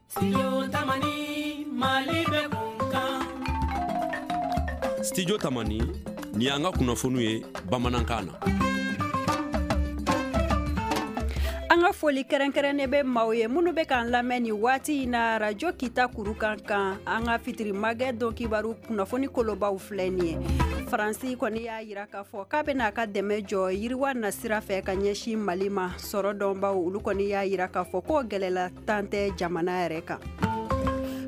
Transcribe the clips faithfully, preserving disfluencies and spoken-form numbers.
Studio Tamani, Mali bɛ kunkan. Studio Tamani, ni y'an ka kunnafoniw ye bamanankan na. An ka foli kɛrɛnkɛrɛnnen bɛ maaw ye minnu bɛ k'an lamɛn nin waati in na radio Kita kurukan kan. An ka fitiri magɛ don kibaru kunnafoni kolobaw filɛ nin ye. Faransi kɔni y'a yira k'a fɔ k'a bɛna a ka dɛmɛ jɔ yiriwa nasira fɛ ka ɲɛsin Mali ma. Sɔrɔ dɔnbaw olu kɔni y'a yira k'a fɔ k'o gɛlɛla tan tɛ jamana yɛrɛ kan.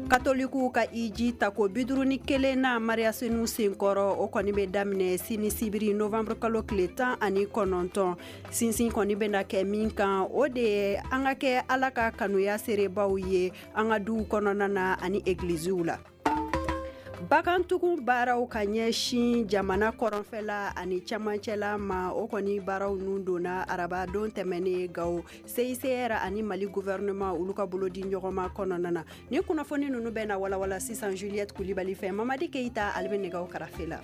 Katolikiw ka iji tako bi duuru ni kelen na Mariya Senu senkɔrɔ, o kɔni bɛ daminɛ sini sibiri novembre kalo tile tan ani kɔnɔntɔn. Sinsin kɔni bɛna kɛ min kan, o de ye an ka kɛ Ala ka kanuya seerebaw ye an ka duw kɔnɔna na ani egiliziw la. Bagantugu baaraw ka ɲɛsin jamana kɔrɔnfɛla ani cɛmancɛla ma, o kɔni baaraw nun donna araba don tɛmɛnen Gawo C I C R ani Mali gouvernement olu ka bolodi ɲɔgɔnma kɔnɔna na. Ni kunnafoni ninnu bɛ na walawala sisan Juliette Kulibali fɛ. Mamadi Keyita ale bɛ nɛgɛw karafe la.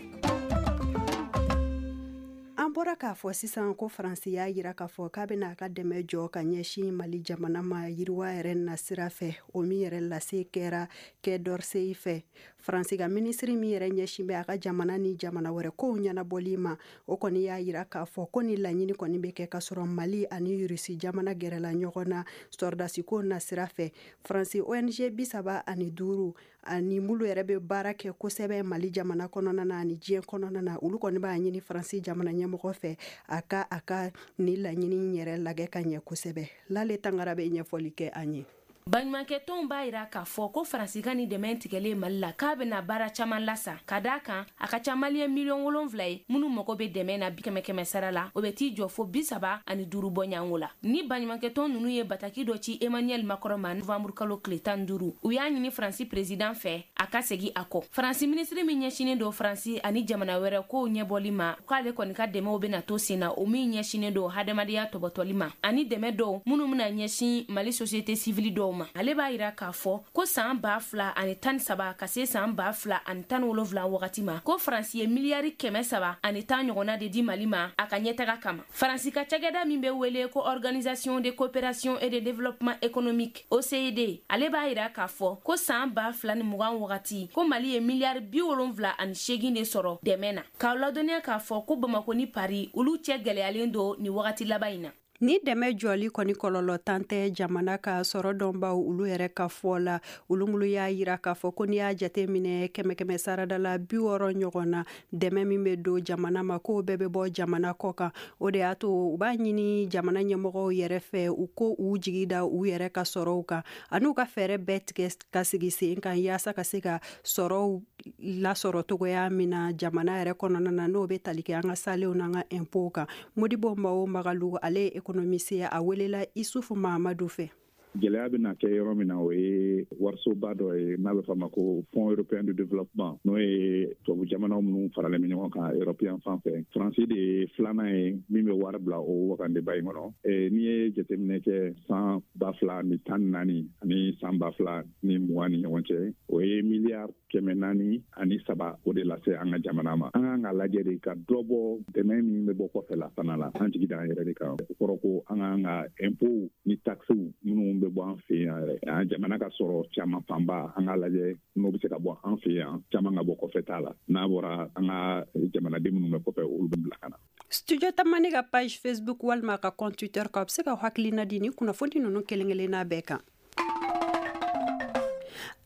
An bɔra k'a fɔ sisan ko Faransi y'a yira k'a fɔ k'a bɛna a ka dɛmɛ jɔ ka ɲɛsin Mali jamana ma yiriwa yɛrɛ nasira fɛ, o min yɛrɛ lase kɛra Quai d'Orsay fɛ. Faransi ka minisiri min yɛrɛ ɲɛsin bɛ a ka jamana ni jamana wɛrɛ kow ɲɛnabɔli ma, o kɔni y'a yira k'a fɔ ko ni laɲini kɔni bɛ kɛ ka sɔrɔ Mali ani Rusi jamana gɛrɛla ɲɔgɔn na sɔrɔdasiko nasira fɛ. Faransi O N G bi saba ani duuru ani minnu yɛrɛ bɛ baara kɛ kosɛbɛ Mali jamana kɔnɔna na ani diɲɛ kɔnɔna na, olu kɔni b'a ɲini Faransi jamana ɲɛmɔgɔ fɛ a ka a ka ni laɲini yɛrɛ lajɛ ka ɲɛ kosɛbɛ. Lale Tangara bɛ ɲɛfɔli kɛ an ye. Baɲumankɛtɔnw b'a yira k'a fɔ ko Faransi ka ni dɛmɛ tigɛlen Mali la k'a bɛna baara caman lasa, ka d'a kan a ka ca maliyɛn miliyɔn wolonfila ye minnu mago bɛ dɛmɛ na bi kɛmɛ kɛmɛ sara la, o bɛ t'i jɔ fo bi saba ani duuru bɔɲango la. Ni baɲumankɛtɔn ninnu ye bataki dɔ ci Emmanuel Macron ma novembre kalo tile tan duuru, u y'a ɲini Faransi président fɛ a ka segin a kɔ. Faransi minisiri min ɲɛsinnen don Faransi ani jamana wɛrɛ kow ɲɛbɔli ma, k'ale kɔni ka dɛmɛw bɛna to sen na, o min ɲɛsinnen don hadamadenya tɔbɔtɔli ma ani dɛmɛ dɔw minnu bɛna ɲɛsin Mali société civile dɔw ma. Ale b'a yira k'a fɔ ko san ba fila ani tan saba ka se san ba fila ani tan wolonfila wagati ma, ko Faransi ye miliyari kɛmɛ saba ani tan ɲɔgɔnna de di Mali ma a ka ɲɛtaga kama. Faransi ka cakɛda min bɛ wele ko Organisation de coopération et de développement économique O C E D, ale b'a yira k'a fɔ ko san ba fila ni mugan wagati ko Mali ye miliyari bi wolonfila ani seegin de sɔrɔ dɛmɛ na. K'aw ladɔnniya k'a fɔ ko Bamako ni Paris olu cɛ gɛlɛyalen don nin wagati laban in na. Ni dɛmɛ jɔli kɔni kɔlɔlɔ tan tɛ jamana ka sɔrɔ dɔnbaw olu yɛrɛ ka fɔ la, olu minnu y'a yira k'a fɔ ko n'i y'a jate minɛ kɛmɛ kɛmɛ sarada la bi wɔɔrɔ ɲɔgɔn na, dɛmɛ min bɛ don jamana ma k'o bɛɛ bɛ bɔ jamana kɔ kan. O de y'a to u b'a ɲini jamana ɲɛmɔgɔw yɛrɛ fɛ u ko u jigi da u yɛrɛ ka sɔrɔw kan ani u ka fɛɛrɛ bɛɛ tigɛ ka sigi sen kan yaasa ka se ka sɔrɔw lasɔrɔ cogoya min na jamana yɛrɛ kɔnɔna na, n'o bɛ tali kɛ an ka salenw n'an ka impôts kan. Modibo Mao Magalu ale ye économiste a welela Isufu Mahamadu fɛ. Gɛlɛya bɛna kɛ yɔrɔ min na, o ye warisoba dɔ ye n'a bɛ fɔ a ma ko Fonds européen de développement, n'o ye tubabu jamanaw minnu faralen bɛ ɲɔgɔn kan européen fan fɛ. Faransi de ye filanan ye min bɛ wari bila o wagandeba in kɔnɔ. N'i ye jateminɛ kɛ san ba fila ni tan ni naani ani san ba fila ni mugan ni ɲɔgɔn cɛ, o ye miliyari kɛmɛ naani ani saba o de lase an ka jamana ma. An kan ka lajɛ de ka dɔ bɔ dɛmɛ min bɛ bɔ kɔfɛ la fana la, an jigi d'an yɛrɛ de kan. O kɔrɔ ko an kan ka impôts ni taxes minnu bɛ bɔ an fɛ yan yɛrɛ, an jamana ka sɔrɔ caman fanba an k'a lajɛ n'o bɛ se ka bɔ an fɛ yan, caman ka bɔ kɔfɛ t'a la. N'a bɔra an ka jamanaden minnu bɛ kɔfɛ, olu bɛ bila ka na. Studio Tamani ka page Facebook walima ka compte Twitter kan, a bɛ se ka hakilina di ni kunnafoni ninnu kelen kelenna bɛɛ kan.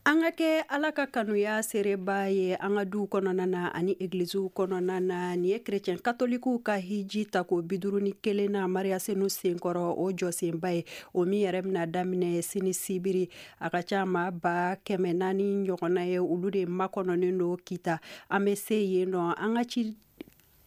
An ka kɛ Ala ka kanuya seereba ye an ka duw kɔnɔna na ani egiliziw kɔnɔna na. Nin ye kerecɛn katolikiw ka hiji tako bi duuru ni kelen na Mariya Senu senkɔrɔ, o jɔsenba ye, o min yɛrɛ bɛna daminɛ sini sibiri. A ka ca maa ba kɛmɛ naani ɲɔgɔnna ye, olu de makɔnɔnen don Kita. An bɛ se yen nɔ, an ka ci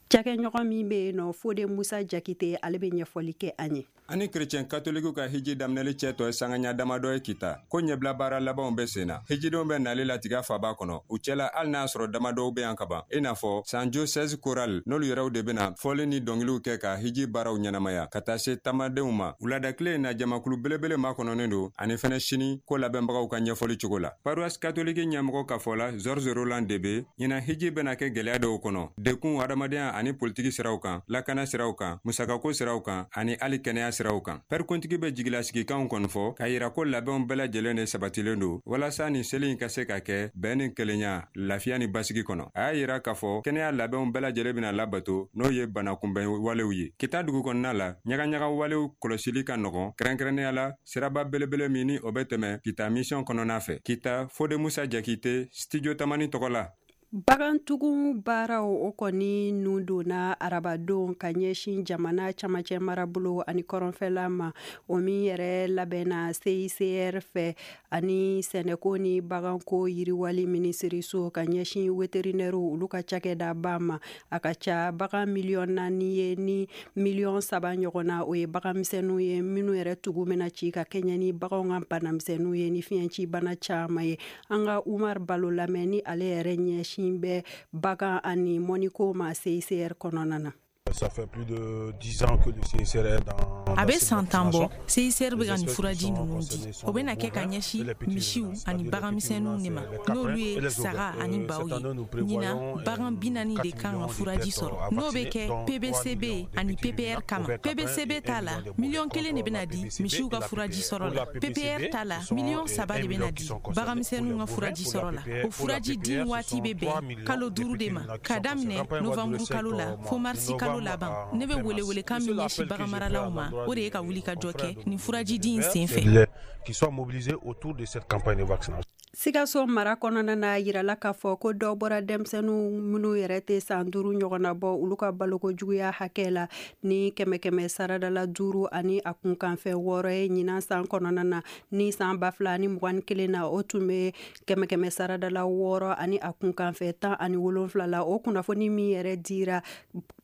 cakɛɲɔgɔn min bɛ yen nɔ, Fode Musa Jakite, ale bɛ ɲɛfɔli kɛ an ye. Ani kerecɛn katolikiw ka hiji daminɛli cɛ tɔ ye sangaɲa damadɔ ye Kita, ko ɲɛbila baara labanw bɛ sen na. Hijidenw bɛ nali latigɛ faba kɔnɔ, u cɛla hali n'a sɔrɔ damadɔw bɛ yan kaban, i n'a fɔ San Joseph Choral, n'olu yɛrɛw de bɛna fɔli ni dɔnkiliw kɛ ka hiji baaraw ɲɛnamaya ka taa se tamadenw ma. Wuladakile in na, jamakulu belebele makɔnɔnen don ani fɛnɛ sini ko labɛnbagaw ka ɲɛfɔli cogo la. Paroisse catholique ɲɛmɔgɔ ka fɔ la, Georges Roland Debe, ɲinan hiji bɛna kɛ gɛlɛya dɔw kɔnɔ, dekun hadamadenya ani politiki siraw kan, lakana siraw kan, musakako siraw kan ani hali kɛnɛya siraw kan. Pɛrikuntigi bɛ jigilasigikanw kɔni fɔ k'a yira ko labɛnw bɛɛ lajɛlen de sabatilen don walasa nin seli in ka se ka kɛ bɛn ni kelenya, lafiya ni basigi kɔnɔ. A y'a yira k'a fɔ kɛnɛya labɛnw bɛɛ lajɛlen bɛna labato, n'o ye banakunbɛn walew ye. Kita dugu kɔnɔna la, ɲagaɲaga walew kɔlɔsili ka nɔgɔn, kɛrɛnkɛrɛnnenya la siraba belebele min ni o bɛ tɛmɛ Kita mission kɔnɔna fɛ. Kita, Fode Musa Jakite, Studio Tamani tɔgɔ la. Bagantugu baaraw o kɔni nun donna arabadon ka ɲɛsin jamana camancɛ marabolo ani kɔrɔnfɛla ma, o min yɛrɛ labɛnna C I C R fɛ ani sɛnɛko ni baganko yiriwali minisiriso ka ɲɛsin weterinɛriw olu ka cakɛdaba ma. A ka ca bagan miliyɔn naani ye ni miliyɔn saba ɲɔgɔn na, o ye baganmisɛnninw ye minnu yɛrɛ tugu bɛna ci ka kɛɲɛ ni baganw ka banamisɛnninw ye ni fiɲɛci bana caman ye. An ka Umar Balo lamɛn ni ale yɛrɛ ɲɛsin bɛ bagan ani mɔniko ma C I C R kɔnɔna na. Ça fait plus de dix ans que le C I C R est dans. A bɛ san tan bɔ, C I C R bɛ ka nin furaji ninnu di. O bɛna kɛ ka ɲɛsin misiw ani baganmisɛnninw de ma, n'olu ye saga ani baw ye. Ɲinan, bagan bi naani de kan ka furaji sɔrɔ, n'o bɛ kɛ P B C B ani P P R kama. P B C B ta la, miliyɔn kelen de bɛna di misiw ka furaji sɔrɔ la. P P R ta la, miliyɔn saba de bɛna di baganmisɛnninw ka furaji sɔrɔ la. O furaji di waati bɛ bɛn kalo duuru de ma, ka daminɛ novanburu kalo la fo marisi kalo laban. Ne bɛ welewelekan min ɲɛsin baganmaralaw ma, o de ye ka wuli ka jɔ kɛ nin furaji di in sen fɛ. Qui soient mobilisés autour de cette campagne de vaccination. Sikaso mara kɔnɔna na, yirala k'a fɔ ko dɔ bɔra denmisɛnninw minnu yɛrɛ tɛ san duuru ɲɔgɔnna bɔ olu ka baloko juguya hakɛ la ni kɛmɛ kɛmɛ saradala duuru ani a kunkanfɛn wɔɔrɔ ye ɲinan san kɔnɔna na. Ni san ba fila ni mugan ni kelen na, o tun bɛ kɛmɛ kɛmɛ saradala wɔɔrɔ ani a kunkanfɛn tan ani wolonfila la. O kunnafoni min yɛrɛ dira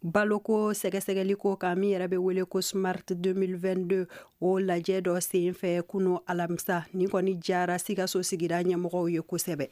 baloko sɛgɛsɛgɛliko kan min yɛrɛ bɛ wele ko Smart deux mille vingt-deux, o lajɛ dɔ sen fɛ kunu alamisa. Nin kɔni jara Sikaso sigida ɲɛmɔgɔw ye kosɛbɛ.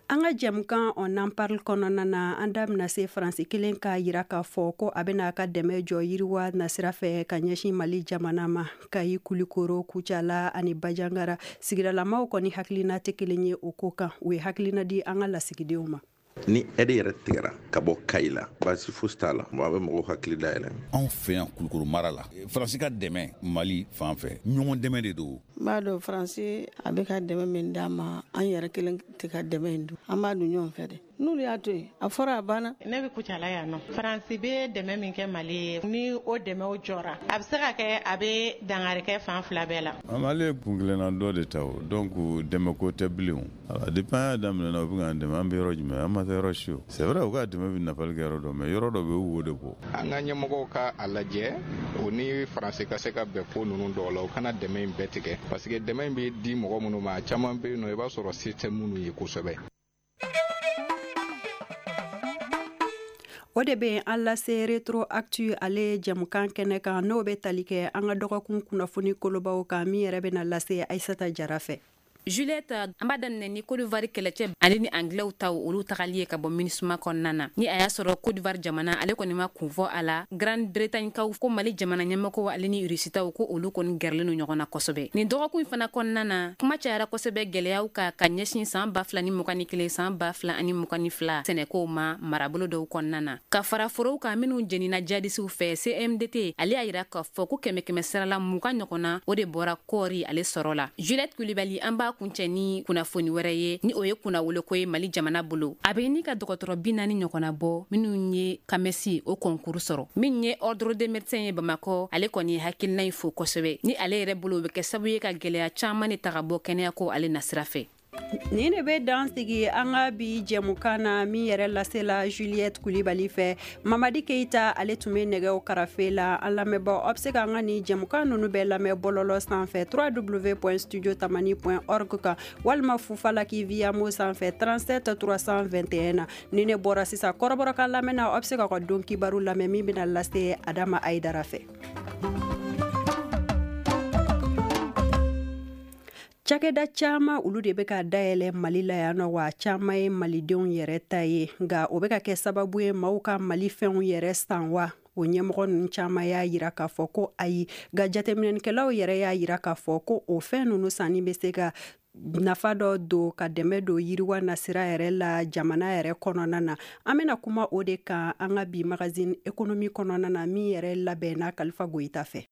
An ka jɛmukan On en parle kɔnɔna na, an da bɛna se Faransi kelen k'a yira k'a fɔ ko a bɛna a ka dɛmɛ jɔ yiriwa nasira fɛ ka ɲɛsin Mali jamana ma. Kayi, Kulikoro, Kucala ani Bajangara sigidalamaw kɔni hakilina tɛ kelen ye o ko kan. U ye hakilina di an ka lasigidenw ma. Ni ɛde yɛrɛ tigɛra ka bɔ Kayi la, baasi fosi t'a la, a bɛ mɔgɔw hakili dayɛlɛ. Anw fɛ yan Kulukoro mara la, Faransi ka dɛmɛ Mali fan fɛ, ɲɔgɔn dɛmɛ de don. N b'a dɔn Faransi a bɛ ka dɛmɛ min d'an ma, an yɛrɛ kelen tɛ ka dɛmɛ in dun, an b'a dun ɲɔgɔn fɛ dɛ. N'olu y'a to yen, a fɔra a banna. Ne bɛ Kucala yan nɔ. Faransi bɛ dɛmɛ min kɛ Mali ye, ni o dɛmɛw jɔra, a bɛ se ka kɛ a bɛ dankari kɛ fan fila bɛɛ la. Mali ye kun kelenna dɔ de ta o, donc dɛmɛ ko tɛ bilen o. Depuis an y'a daminɛ na, u bɛ k'an dɛmɛ, an bɛ yɔrɔ jumɛn, an ma taa yɔrɔ si o. C'est vrai, u ka dɛmɛ bɛ nafali kɛ yɔrɔ dɔ, mais yɔrɔ dɔ bɛ yen, u b'o de bɔ. An ka ɲɛmɔgɔw ka a lajɛ, o ni Faransi ka se ka bɛn ko ninnu dɔw la, u kana dɛmɛ in bɛɛ tigɛ, parce que dɛmɛ in bɛ di mɔgɔ minnu ma, a caman bɛ yen nɔ, i b'a sɔrɔ se tɛ minnu ye kosɛbɛ. O de bɛ an lase Retro Actu ale jɛmukan kɛnɛ kan, n'o bɛ tali kɛ an ka dɔgɔkun kunnafoni kolobaw kan min yɛrɛ bɛna lase Aissata Jara fɛ. Juliette, an b'a daminɛ ni Côte d'Ivoire kɛlɛcɛ ale ni Anglais taw olu tagali ye ka bɔ MINUSMA kɔnɔna na. Ni a y'a sɔrɔ Côte d'Ivoire jamana ale kɔni ma kun fɔ a la, Grande-Bretagne kaw ko Mali jamana ɲɛmɔgɔw ale ni Russie taw ko olu kɔni gɛrɛlen don ɲɔgɔn na kosɛbɛ. Nin dɔgɔkun in fana kɔnɔna na, kuma cayara kosɛbɛ gɛlɛyaw kan ka ɲɛsin san ba fila ni mugan ni kelen san ba fila ani mugan ni fila sɛnɛkow ma marabolo dɔw kɔnɔna na. Ka fara forow kan minnu jenina jadisiw fɛ, C M D T ale y'a yira k'a fɔ ko kɛmɛ kɛmɛ sarala mugan ɲɔgɔn na o de bɔra kɔɔri ale sɔrɔ la. Juliette Kulibali, an b'a kuncɛ ni kunnafoni wɛrɛ ye, ni o ye kunnawoloko ye Mali jamana bolo. A bɛ ni ka dɔgɔtɔrɔ bi naani ɲɔgɔnna bɔ minnu ye kamɛsi o kɔnkuru sɔrɔ. Min ye ordre des médecins ye Bamakɔ, ale kɔni ye hakilina in fo kosɛbɛ. Ni ale yɛrɛ bolo, o bɛ kɛ sababu ye ka gɛlɛya caman de ta ka bɔ kɛnɛyako ale nasira fɛ. Nin de bɛ dan sigi an ka bi jɛmukan na min yɛrɛ lasela Juliette Kulibali fɛ. Mamadi Keita ale tun bɛ nɛgɛw karafe la. An lamɛnbaaw, aw bɛ se k'an ka nin jɛmukan ninnu bɛɛ lamɛn bɔlɔlɔ sanfɛ w w w point studio tamani point org kan, walima Fufalaki Via-Mo sanfɛ trente-sept trois cent vingt et un na. Ni ne bɔra sisan kɔrɔbɔrɔkan lamɛn na, aw bɛ se k'aw ka don kibaru lamɛn min bɛna lase Adama Ayidara fɛ. Cakɛda caman olu de bɛ ka dayɛlɛ Mali la yan nɔ, wa caman ye malidenw yɛrɛ ta ye, nka o bɛ ka kɛ sababu ye maaw ka Mali fɛnw yɛrɛ san wa? O ɲɛmɔgɔ ninnu caman y'a yira k'a fɔ ko ayi, nka jateminɛnikɛlaw yɛrɛ y'a yira k'a fɔ ko o fɛn ninnu sanni bɛ se ka nafa dɔ don ka dɛmɛ don yiriwa nasira yɛrɛ la jamana yɛrɛ kɔnɔna na. An bɛna kuma o de kan an ka bi magazine économie kɔnɔna na, min yɛrɛ labɛnna Kalifa Goyita fɛ.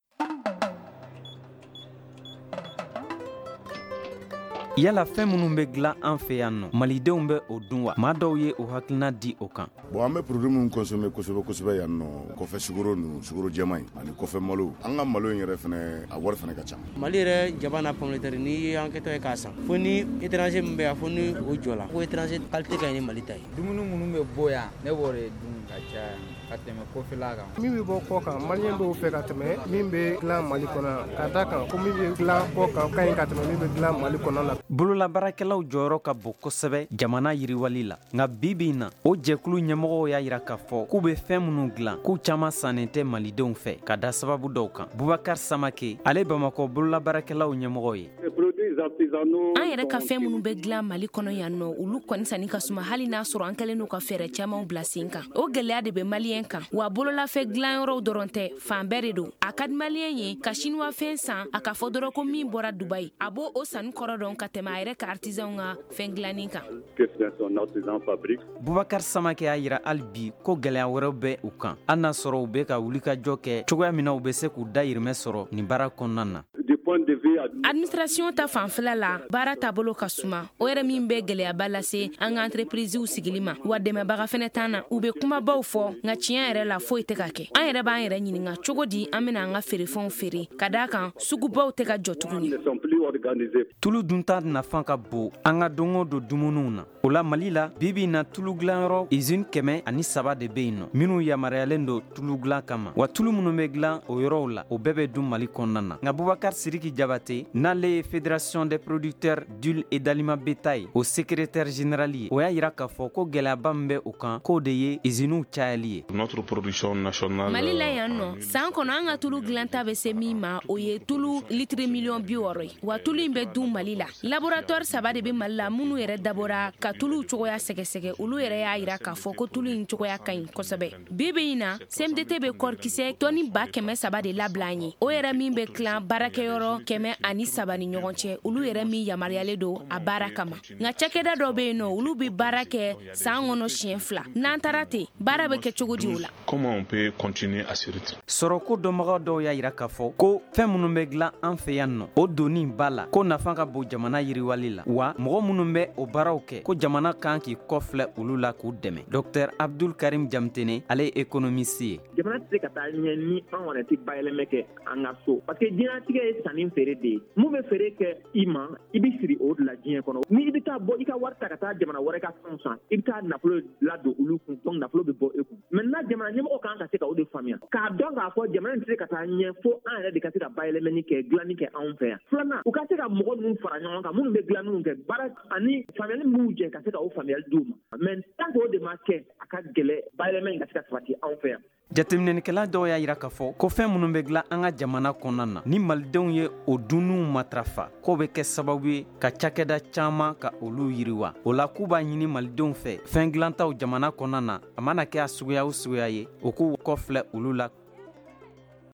Yala fɛn minnu bɛ dilan an fɛ yan nɔ, malidenw bɛ o dun wa? Maa dɔw ye o hakilina di o kan. Bon, an bɛ produit minnu consommer kosɛbɛ kosɛbɛ yan nɔ, kɔfɛ sukaro ninnu, sukaro jɛman in ani kɔfɛ malo. An ka malo in yɛrɛ fɛnɛ, a wari fɛnɛ ka ca. Mali yɛrɛ jaba n'a pomme de terre, n'i y'an kɛtɔ ye k'a san, fo ni étranger min bɛ yan, fo ni o jɔ la, ko étranger qualité ka ɲi ni Mali ta ye. Dumuni minnu bɛ bɔ yan, ne b'o de dun ka caya ka tɛmɛ kɔfɛla kan. Min bɛ bɔ kɔ kan, maliyɛn dɔw fɛ ka tɛmɛ min bɛ dilan Mali kɔnɔ, ka da kan ko min bɛ dilan kɔ kan ka ɲi ka tɛmɛ min bɛ dilan Mali kɔnɔ la. Bololabaarakɛlaw jɔyɔrɔ ka bon kosɛbɛ jamana yiriwali la, nka bi bi in na, o jɛkulu ɲɛmɔgɔw y'a yira k'a fɔ k'u bɛ fɛn minnu dilan, k'u caman sannen tɛ malidenw fɛ ka da sababu dɔw kan. Bubakar Samake, ale Bamakɔ bololabaarakɛlaw ɲɛmɔgɔ ye. An yɛrɛ ka fɛn minnu bɛ dilan Mali kɔnɔ yan nɔ, olu kɔni sanni ka suma, hali n'a sɔrɔ an kɛlen don ka fɛɛrɛ camanw bila sen kan. O gɛlɛya de bɛ maliyɛn kan, wa bololafɛn dilanyɔrɔw dɔrɔn tɛ, fan bɛɛ de don. A ka di maliyɛn ye ka siniwa fɛn san, a ka fɔ dɔrɔn ko min bɔra Dubayi, a b'o o sanni kɔrɔ dɔn ka tɛmɛ a yɛrɛ ka artisanw ka fɛn dilanni kan. Bubakar Samake y'a yira hali bi ko gɛlɛya wɛrɛw bɛ u kan, hali n'a sɔrɔ u bɛ ka wulikajɔ kɛ cogoya min na u bɛ se k'u dayirimɛ sɔrɔ nin baara kɔnɔna na. Administration ta fanfɛla la, baara taabolo ka suma, o yɛrɛ min bɛ gɛlɛyaba lase an ka entreprisew sigili ma, wa dɛmɛbaga fɛnɛ t'an na. U bɛ kumabaw fɔ, nka tiɲɛ yɛrɛ la foyi tɛ ka kɛ. An yɛrɛ b'an yɛrɛ ɲininka cogo di an bɛna an ka feerefɛnw feere, ka d'a kan sugubaw tɛ ka jɔ tuguni. Tulu dunta nafa ka bon an ka don o don dumuniw na. O la Mali la, bi bi in na, tulu dilanyɔrɔ usine kɛmɛ ani saba de bɛ yen nɔ, minnu yamaruyalen don tulu dilan kama. Wa tulu minnu bɛ dilan o yɔrɔw la, o bɛɛ bɛ dun Mali kɔnɔna na. Nka Bubakar Sidiki Jabate, n'ale ye Fédération des producteurs d'huile et d'aliments bétail o secrétaire général ye, o y'a yira k'a fɔ ko gɛlɛyaba min bɛ o kan, k'o de ye usines cayali ye. Notre production nationale Mali la yan nɔ, san kɔnɔ an ka tulu dilanta bɛ se min ma, o ye tulu litiri miliyɔn bi wɔɔrɔ ye, wa tulu in bɛ dun Mali la. Laboratoire saba de bɛ Mali la minnu yɛrɛ dabɔra ka tuluw cogoya sɛgɛsɛgɛ. Olu yɛrɛ y'a yira k'a fɔ ko tulu in cogoya ka ɲi kosɛbɛ. Bi bi in na, C M D T bɛ kɔrikisɛ tɔni ba kɛmɛ saba de labila an ye, o yɛrɛ min bɛ tilan baarakɛyɔrɔ kɛmɛ ani saba ni ɲɔgɔn cɛ, olu yɛrɛ min yamaruyalen don a baara kama. Nka cakɛda dɔ bɛ yen nɔ, olu bɛ baara kɛ san kɔnɔ siɲɛ fila. N'an taara ten, baara bɛ kɛ cogo di o la? Comment on peut continuer à ce rythme? Sɔrɔko dɔnbaga dɔw y'a yira k'a fɔ ko fɛn minnu bɛ dilan an fɛ yan nɔ, o donni ba la, ko nafa ka bon jamana yiriwali la, wa mɔgɔ minnu bɛ o baaraw kɛ, ko jamana kan k'i kɔfilɛ olu la k'u dɛmɛ. Docteur Abdul Karim Jamtene, ale ye économiste ye. Jamana tɛ se ka taa ɲɛ ni an yɛrɛ tɛ bayɛlɛmɛ kɛ an ka so, parce que diɲɛlatigɛ ye sanni feere de ye. Mun bɛ feere kɛ i ma, i bɛ siri o de la diɲɛ kɔnɔ. Ni i bɛ taa bɔ i ka wari ta ka taa jamana wɛrɛ ka fɛnw san, i bɛ taa nafolo ladon olu kun, donc nafolo bɛ bɔ e kun. Maintenant jamana ɲɛmɔgɔ kan ka se ka o de faamuya, k'a dɔn k'a fɔ jamana in tɛ se ka taa ɲɛ fo an yɛrɛ de ka se ka bayɛlɛmani kɛ, dilanni kɛ anw fɛ yan. Filanan, u ka se ka mɔgɔ ninnu fara ɲɔgɔn kan minnu bɛ dilanniw kɛ, baara ani faamuyali minnu jɛ ka se ka o faamuyali d'u ma. Mais tant que o de ma kɛ, a ka gɛlɛ bayɛlɛma in ka se ka sabati anw fɛ yan. Jateminɛlikɛla dɔw y'a yira k'a fɔ ko fɛn minnu bɛ dilan an ka jamana kɔnɔna na, ni malidenw ye o dunniw matarafa, k'o bɛ kɛ sababu ye ka cakɛda caman ka olu yiriwa. O la k'u b'a ɲini malidenw fɛ, fɛn dilantaw jamana kɔnɔna na, a mana kɛ a suguya o suguya ye, o k'u kɔfilɛ olu la.